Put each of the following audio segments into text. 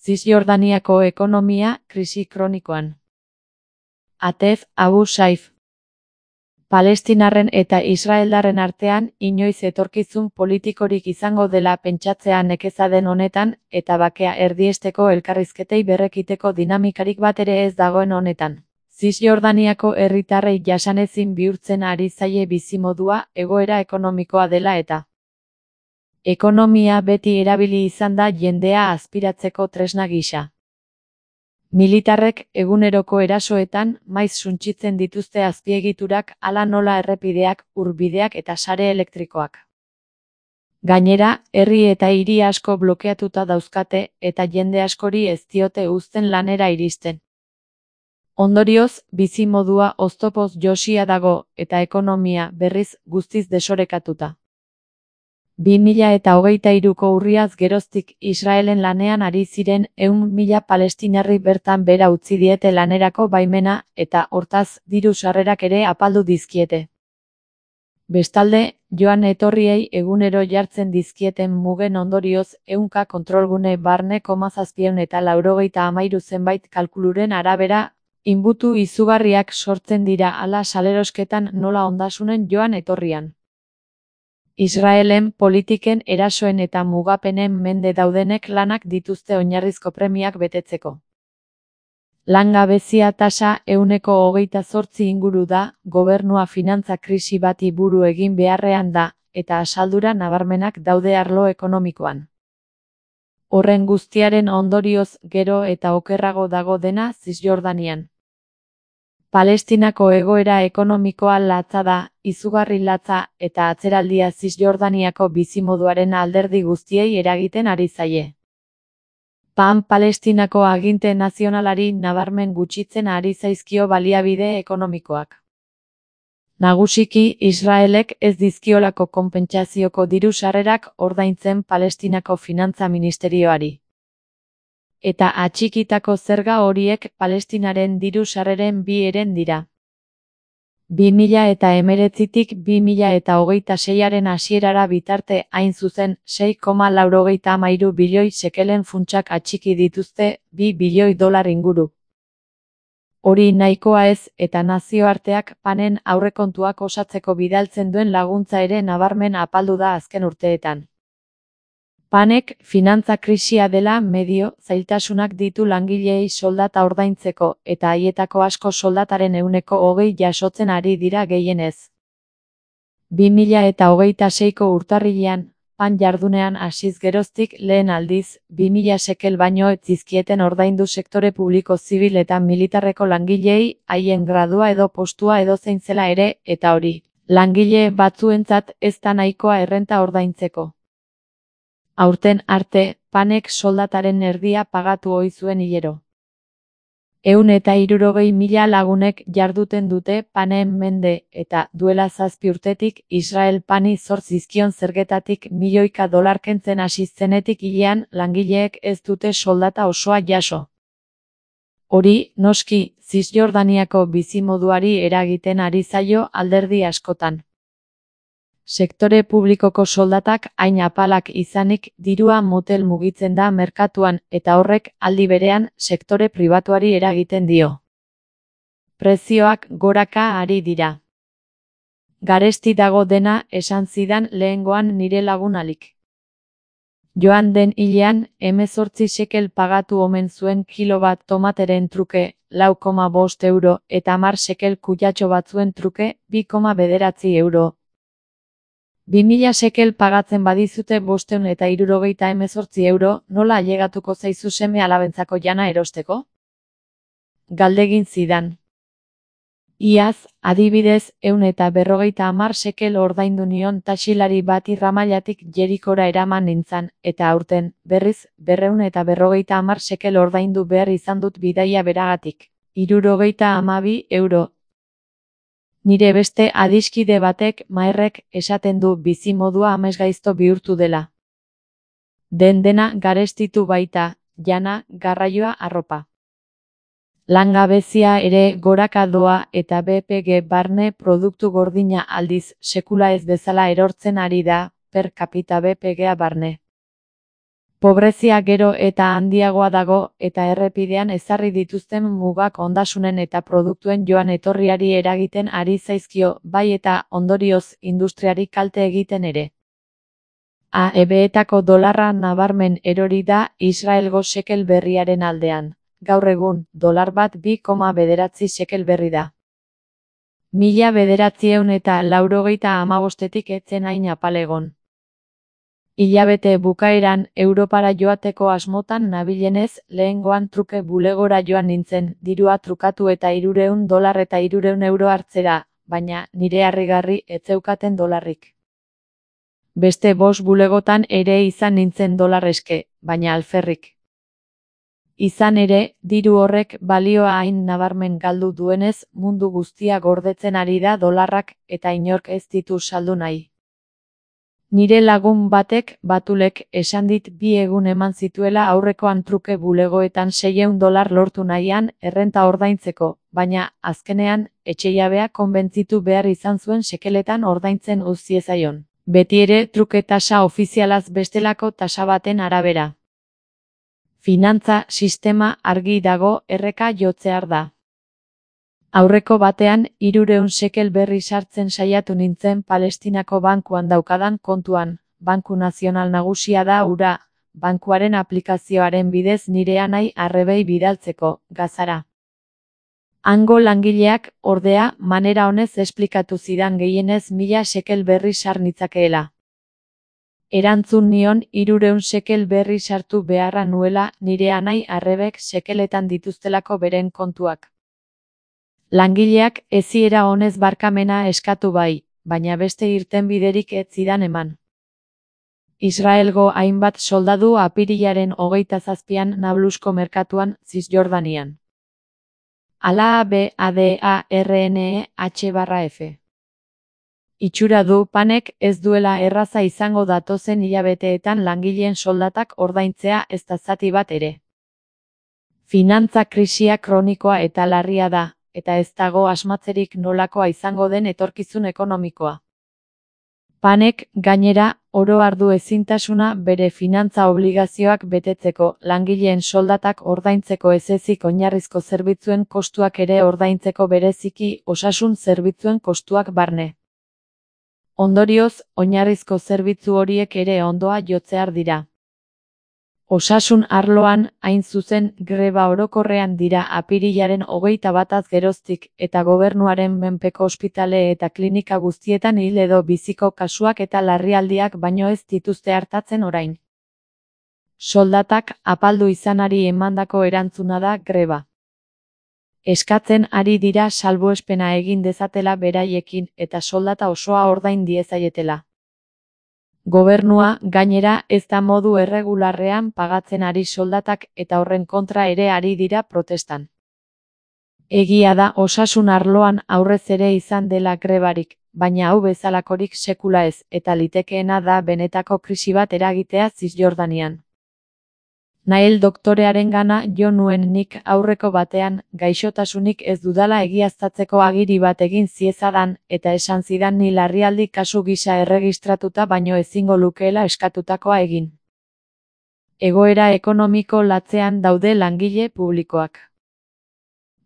Zisjordaniako ekonomia krisi kronikoan. Atef Abu Saif. Palestinarren eta Israeldarren artean inoiz etorkizun politikorik izango dela pentsatzea nekeza den honetan, eta bakea erdiesteko elkarrizketei berrekiteko dinamikarik bat ere ez dagoen honetan. Zisjordaniako herritarrei jasanezin bihurtzen ari zaie bizimodua egoera ekonomikoa dela eta ekonomia beti erabili izan da jendea azpiratzeko tresna gisa. Militarrek eguneroko erasoetan maiz suntsitzen dituzte azpiegiturak hala nola errepideak, urbideak eta sare elektrikoak. Gainera, herri eta hiri asko blokeatuta dauzkate eta jende askori ez diote uzten lanera iristen. Ondorioz, bizimodua oztopoz josia dago eta ekonomia berriz guztiz desorekatuta. 2023ko urriaz geroztik Israelen lanean ari ziren 100.000 palestinarri bertan bera utzi diete lanerako baimena eta hortaz diru sarrerak ere apaldu dizkiete. Bestalde, joan etorriei egunero jartzen dizkieten mugen ondorioz 100 kontrolgune barne 783 zenbait kalkuluren arabera, inbutu izugarriak sortzen dira hala salerosketan nola ondasunen joan etorrian. Israelen politiken erasoen eta mugapenen mende daudenek lanak dituzte oinarrizko premiak betetzeko. Langabezia tasa 28% inguru da, gobernua finantza krisi bati buru egin beharrean da, eta asaldura nabarmenak daude arlo ekonomikoan. Horren guztiaren ondorioz gero eta okerrago dago dena Zisjordanian. Palestinako egoera ekonomikoa latza da, izugarri latza eta atzeraldia Zisjordaniako bizimoduaren alderdi guztiei eragiten ari zaie. Palestinako aginte nazionalari nabarmen gutxitzen ari zaizkio baliabide ekonomikoak. Nagusiki Israelek ez dizkiolako konpentsazioko diru sarrerak ordaintzen Palestinako finantza ministerioari. Eta atxikitako zerga horiek Palestinaren diru sarreren bi heren dira. 2019tik 2026aren hasierara bitarte hain zuzen 6,93 bilioi shekelen funtsak atxiki dituzte, 2 bilioi dolar inguru. Hori nahikoa ez eta nazioarteak panen aurrekontuak osatzeko bidaltzen duen laguntza ere nabarmen apaldu da azken urteetan. Panek finantza krisia dela medio zailtasunak ditu langileei soldata ordaintzeko eta haietako asko soldataren 20% jasotzen ari dira gehienez. 2026ko urtarrilean, pan jardunean hasiz geroztik lehen aldiz, 2.000 shekel baino ez zizkieten ordaindu sektore publiko zibil eta militarreko langileei haien gradua edo postua edozein zela ere, eta hori, langile batzuentzat ez da nahikoa errenta ordaintzeko. Aurten arte, panek soldataren erdia pagatu ohi zuen hilero. 160.000 lagunek jarduten dute panen mende eta duela 7 urtetik Israel pani zor zizkion zergetatik milioika dolar kentzen hasi zenetik hilean langileek ez dute soldata osoa jaso. Hori, noski, Zisjordaniako bizimoduari eragiten ari zaio alderdi askotan. Sektore publikoko soldatak hain apalak izanik dirua motel mugitzen da merkatuan eta horrek aldi berean sektore pribatuari eragiten dio. Prezioak goraka ari dira. Garesti dago dena esan zidan lehengoan nire lagunalik. Joan den hilean 18 shekel pagatu omen zuen kilo bat tomateren truke 4,5 euro eta 10 shekel kutxatxo batzuen truke 2,9 euro. 2.000 shekel pagatzen badizute 578 euro, nola ailegatuko zaizu seme alabentzako jana erosteko? Galdegin zidan. Iaz, adibidez, 150 shekel ordaindu nion taxilari bati Ramalatik Jerikora eraman nintzan, eta aurten, berriz, 250 shekel ordaindu behar izan dut bidaia beragatik. 72 euro. Nire beste adiskide batek, Maerrek, esaten du bizimodua amesgaizto bihurtu dela. Dena garestitu baita, jana, garraioa, arropa. Langabezia ere goraka doa eta BPG barne produktu gordina aldiz sekula ez bezala erortzen ari da, per capita BPG-a barne. Pobrezia gero eta handiagoa dago eta errepidean ezarri dituzten mugak ondasunen eta produktuen joan etorriari eragiten ari zaizkio, bai eta ondorioz industriari kalte egiten ere. AEBetako dolarra nabarmen erori da Israelgo shekel berriaren aldean. Gaur egun, dolar bat 2,9 shekel berri da. 1985etik ez zen hain apalegon. Hilabete bukaeran Europara joateko asmotan nabilenez, lehengoan truke bulegora joan nintzen, dirua trukatu eta $300 eta €300 hartzera, baina nire harrigarri ez zeukaten dolarrik. Beste 5 bulegotan ere izan nintzen dolar eske, baina alferrik. Izan ere, diru horrek balioa hain nabarmen galdu duenez, mundu guztia gordetzen ari da dolarrak eta inork ez ditu saldu nahi. Nire lagun batek, Batulek, esan dit 2 egun eman zituela aurrekoan truke bulegoetan $600 lortu nahian errenta ordaintzeko, baina, azkenean, etxejabea konbentzitu behar izan zuen shekeletan ordaintzen utz ziezaion. Beti ere truke tasa ofizialaz bestelako tasa baten arabera. Finantza sistema argi dago erreka jotzear da. Aurreko batean, 300 shekel berri sartzen saiatu nintzen Palestinako bankuan daukadan kontuan, Banku Nazional Nagusia da hura, bankuaren aplikazioaren bidez nire anai arrebei bidaltzeko, Gazara. Hango langileak, ordea, manera honez esplikatu zidan gehienez 1000 shekel berri sar nitzakeela. Erantzun nion 300 shekel berri sartu beharra nuela nire anai arrebek shekeletan dituztelako beren kontuak. Langileak eziera honez barkamena eskatu bai, baina beste irtenbiderik ez zidan eman. Israelgo hainbat soldadu apirilaren 27an Nablusko merkatuan, Zisjordanian. ALABADARNEH/F. Itxura du Panek ez duela erraza izango datozen hilabeteetan langileen soldatak ordaintzea ez da zati bat ere. Finantza krisia kronikoa eta larria da, eta ez dago asmatzerik nolakoa izango den etorkizun ekonomikoa. Panek, gainera, oro har du ezintasuna bere finantza obligazioak betetzeko, langileen soldatak ordaintzeko ez ezik oinarrizko zerbitzuen kostuak ere ordaintzeko bereziki osasun zerbitzuen kostuak barne. Ondorioz, oinarrizko zerbitzu horiek ere ondoa jotzear dira. Osasun arloan, hain zuzen, greba orokorrean dira apirilaren 21az geroztik, eta gobernuaren menpeko ospitale eta klinika guztietan hil edo biziko kasuak eta larrialdiak baino ez dituzte hartatzen orain. Soldatak apaldu izanari emandako erantzuna da greba. Eskatzen ari dira salbuespena egin dezatela beraiekin eta soldata osoa ordain diezaietela. Gobernua, gainera, ez da modu erregularrean pagatzen ari soldatak eta horren kontra ere ari dira protestan. Egia da osasun arloan aurrez ere izan dela grebarik, baina hau bezalakorik sekula ez, eta litekeena da benetako krisi bat eragitea Zisjordanian. Nael doktorearengana jo nuen nik aurreko batean, gaixotasunik ez dudala egiaztatzeko agiri bat egin ziezadan, eta esan zidan ni larrialdi kasu gisa erregistratuta baino ezingo lukeela eskatutakoa egin. Egoera ekonomiko latzean daude langile publikoak.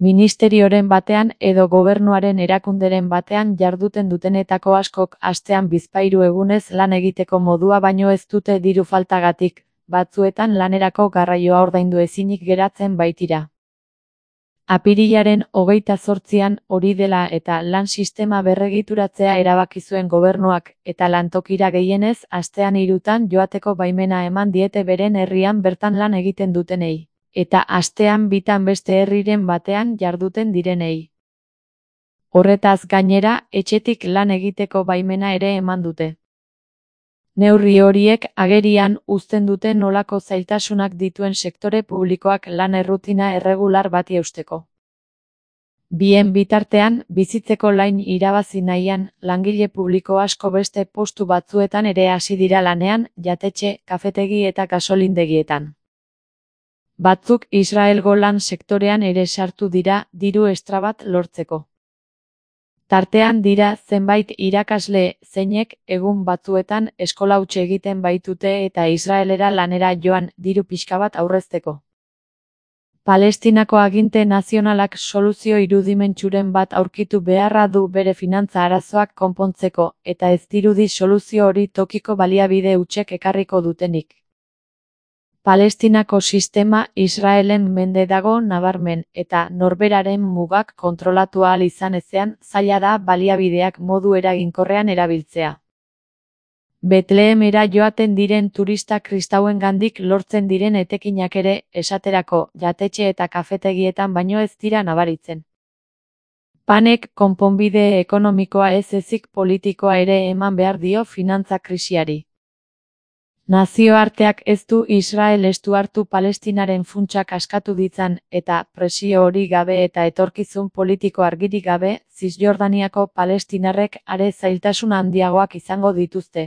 Ministerioren batean edo gobernuaren erakunderen batean jarduten dutenetako askok astean 2-3 egunez lan egiteko modua baino ez dute diru faltagatik, batzuetan lanerako garraioa ordaindu ezinik geratzen baitira. Apirilaren 28an hori dela eta lan sistema berregituratzea erabaki zuen gobernuak, eta lantokira gehienez astean 3 joateko baimena eman diete beren herrian bertan lan egiten dutenei, eta astean 2 beste herriren batean jarduten direnei. Horretaz gainera, etxetik lan egiteko baimena ere eman dute. Neurri horiek agerian uzten dute nolako zailtasunak dituen sektore publikoak lan errutina erregular bati eusteko. Bien bitartean, bizitzeko lain irabazi nahian, langile publiko asko beste postu batzuetan ere hasi dira lanean, jatetxe, kafetegi eta gasolindegietan. Batzuk Israelgo lan sektorean ere sartu dira, diru estra bat lortzeko. Tartean dira zenbait irakasle zeinek egun batzuetan eskola huts egiten baitute eta Israelera lanera joan diru pixka bat aurrezteko. Palestinako aginte nazionalak soluzio irudimentsuren bat aurkitu beharra du bere finantza arazoak konpontzeko, eta ez dirudi soluzio hori tokiko baliabide hutsek ekarriko dutenik. Palestinako sistema Israelen mende dago nabarmen, eta norberaren mugak kontrolatu ahal izan ezean zaila da baliabideak modu eraginkorrean erabiltzea. Betlehemera joaten diren turista kristauengandik lortzen diren etekinak ere, esaterako, jatetxe eta kafetegietan baino ez dira nabaritzen. Panek konponbide ekonomikoa ez ezik politikoa ere eman behar dio finantza krisiari. Nazioarteak ez du Israel estu hartu Palestinaren funtsak askatu ditzan, eta presio hori gabe eta etorkizun politiko argirik gabe, Zisjordaniako palestinarrek are zailtasun handiagoak izango dituzte.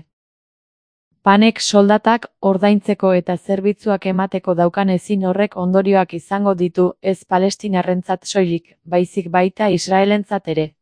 Panek soldatak ordaintzeko eta zerbitzuak emateko daukan ezin horrek ondorioak izango ditu, ez palestinarrentzat soilik, baizik baita Israelentzat ere.